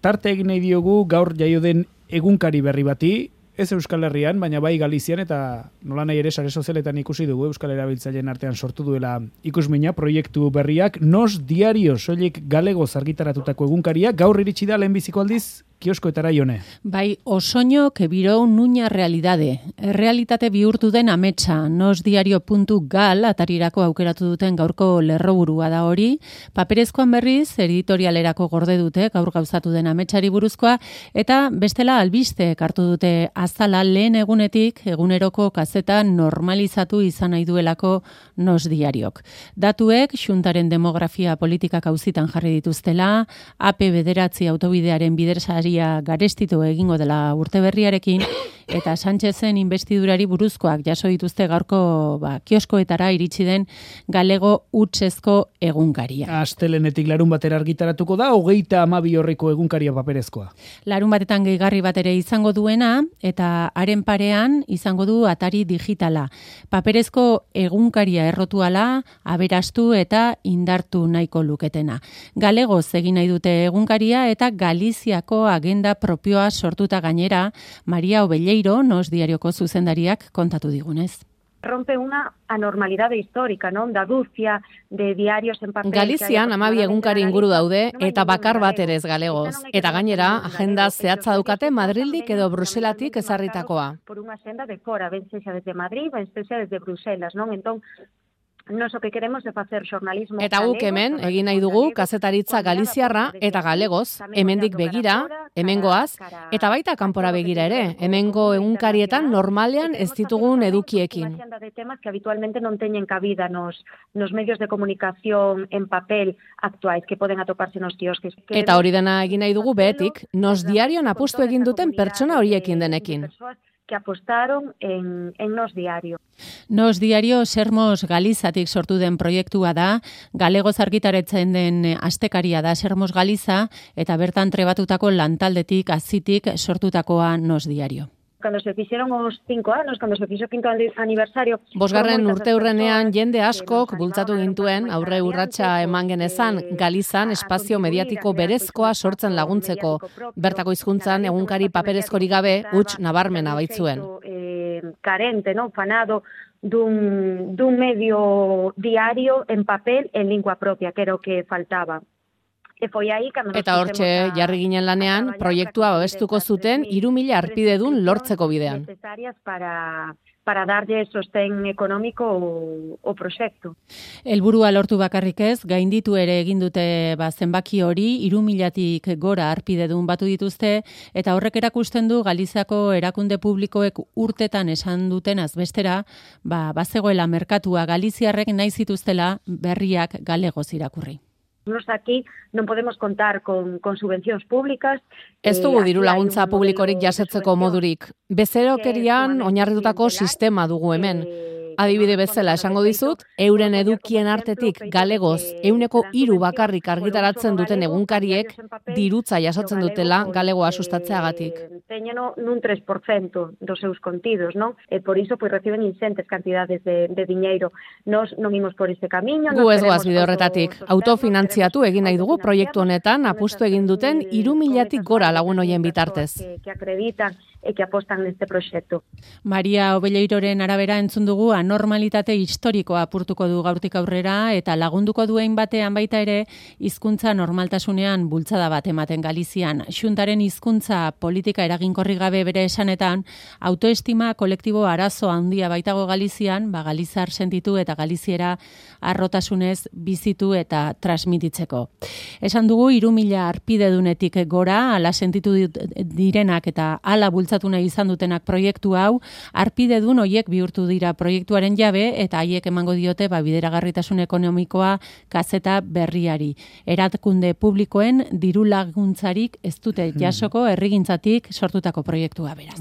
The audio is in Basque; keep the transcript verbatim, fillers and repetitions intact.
Tarte egin nahi diogu gaur jaio den egunkari berri bati, ez Euskal Herrian, baina bai Galizian, eta nola nahi ere sare sozialetan ikusi dugu Euskal Erabiltzaileen artean sortu duela ikusmina proiektu berriak, Nos Diario soilik galegoz argitaratutako egunkaria, gaur iritsi da lehenbiziko aldiz kioskoetara jone. Bai, osoño que viró nuña realidade. Realitate bihurtu den ametsa, nosdiario puntu gal atarirako aukeratu duten gaurko lerroburua da hori. Paperezkoan berriz, editorialerako gorde dute gaur gauzatu den ametsari buruzkoa, eta bestela albiste hartu dute azala lehen egunetik eguneroko kazeta normalizatu izan nahi duelako Nos Diariok. Datuek, xuntaren demografia politikak auzitan jarri dituztela, A P bederatzi autobidearen bidersari garestitu egingo dela urte berriarekin, eta Sánchezen investidurari buruzkoak jaso dituzte gaurko ba, kioskoetara iritsi den galego hutsezko egunkaria. Astelenetik larun batera argitaratuko da, hogeita hamabi horriko egunkaria paperezkoa. Larun batetan gehigarri bat ere izango duena, eta haren parean izango du atari digitala. Paperezko egunkaria errotuala, aberastu eta indartu nahiko luketena. Galegoz egin nahi dute egunkaria eta Galiziako agenda propioa sortuta gainera, Maria Obelleiro, Nos Diarioko zuzendariak kontatu digunez. Rompe una anormalidade histórica, ¿no? Da duzia de diarios en papel. Galizian hamabi egunkari inguru daude eta bakar bat ere ez galegoz. Eta gainera, agenda zehatza daukate Madrildik edo Bruselatik ezarritakoa. Por unha senda de fora, ben sexa desde Madrid, ben sexa desde Bruselas, non? Entón, nos o que queremos é facer xornalismo. Eta guk hemen egin nahi dugu kazetaritza galiziarra eta galegoz, hemendik begira, hemengoaz, eta baita kanpora begira ere, hemengo egunkarietan normalean ez ditugun edukiekin. De temas que habitualmente non teñen cabida nos, nos medios de comunicación en papel actuais que poden atoparse nos kiosques. Eta hori dena egin nahi dugu behetik, Nos Diarion apustu egin duten pertsona horiekin denekin. Que apostaron en, en Nos Diario. Nos Diario Sermos Galizatik sortu den proiektua da, galegoz argitaretzen den astekaria da Sermos Galiza, eta bertan trebatutako lantaldetik, azitik sortutakoa Nos Diario. Cuando se fixeron os cinco anos, cuando se fixo quinto aniversario... Bosgarren urte hurrenean jende askok bultzatu gintuen aurre urratsa eman genezan Galizan espazio mediatiko berezkoa sortzen laguntzeko. Bertako hizkuntzan egunkari paperezkorik gabe huts nabarmena baitzuen. Carente, no, fanado dun, dun medio diario en papel en lingua propia, que era o que faltaba. Eta hortxe jarri ginen lanean, proiektua babestuko zuten hiru mila arpidedun lortzeko bidean. Para, para darle sostén económico o, o proyecto. Helburua lortu bakarrik ez, gainditu ere egin dute ba, zenbaki hori, hiru milatik gora arpidedun batu dituzte, eta horrek erakusten du Galiziako erakunde publikoek urtetan esan duten azbestera, ba, bazegoela merkatua Galiziarrek nahi zituztela berriak galegoz irakurri. Nos aquí non podemos contar con, con subvencións públicas. Ez dugu diru laguntza publikorik jasetzeko modurik. Bezerokerian oinarritutako sistema dugu hemen. Adibide bezala esango dizut, euren edukien artetik galegoz euneko hiru bakarrik argitaratzen duten egunkariek dirutza jasotzen dutela galegoa sustatzeagatik. Teñen nun tres por ciento dos seus contidos, non? E por iso pois reciben ingentes cantidades de, de diñeiro. Nos non imos por ese camiño. Gu ez goaz bide horretatik. Autofinantziatu egin nahi dugu proiektu honetan apustu egin duten hiru milatik gora lagun hoien bitartez. Que acreditan e que apostan neste proxektu. Maria Obelleiroren arabera entzun dugu anormalitate historikoa apurtuko du gaurtik aurrera eta lagunduko duen batean baita ere hizkuntza normaltasunean bultzada bat ematen Galizian. Xuntaren hizkuntza politika eraginkorri gabe bere esanetan, autoestima kolektibo arazo handia baitago Galizian, ba Galizar sentitu eta Galiziera arrotasunez bizitu eta transmititzeko. Esan dugu hiru mila arpidedunetik gora, ala sentitu direnak eta ala bultzatu nahi izan dutenak proiektu hau, arpidedun hoiek bihurtu dira proiektuaren jabe eta haiek emango diote ba, bideragarritasun ekonomikoa kazeta berriari. Erakunde publikoen diru laguntzarik ez dute jasoko herrigintzatik sortutako proiektua beraz.